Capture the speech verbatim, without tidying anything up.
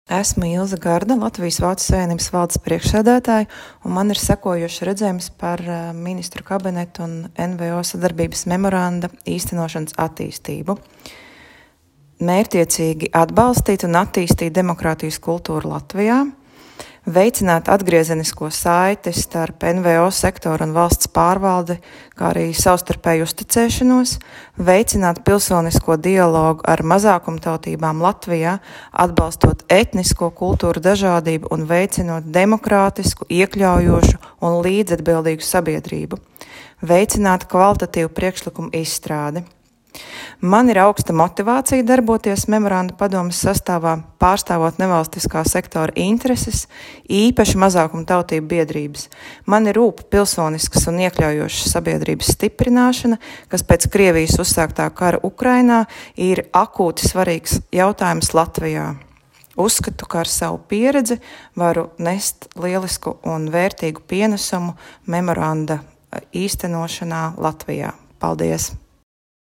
Esmu Ilze Garda, Latvijas Vācu Savienības valdes priekšsēdētāja, un man ir sekojošs redzējums par ministru kabinetu un N V O sadarbības memoranda īstenošanas attīstību. Mērķtiecīgi atbalstīt un attīstīt demokrātijas kultūru Latvijā, veicināt atgriezenisko saiti starp N V O sektoru un valsts pārvaldi, kā arī savstarpēju uzticēšanos, veicināt pilsonisko dialogu ar mazākumtautībām Latvijā, atbalstot etnisko kultūru dažādību un veicinot demokrātisku, iekļaujošu un līdzatbildīgu sabiedrību, veicināt kvalitatīvu priekšlikumu izstrādi. Man ir augsta motivācija darboties memoranda padomes sastāvā, pārstāvot nevalstiskā sektora intereses, īpaši mazākuma tautību biedrības. Man ir rūp pilsoniskas un iekļaujošas sabiedrības stiprināšana, kas pēc Krievijas uzsāktā kara Ukrainā ir akūti svarīgs jautājums Latvijā. Uzskatu, ka ar savu pieredzi varu nest lielisku un vērtīgu pienesumu memoranda īstenošanā Latvijā. Paldies!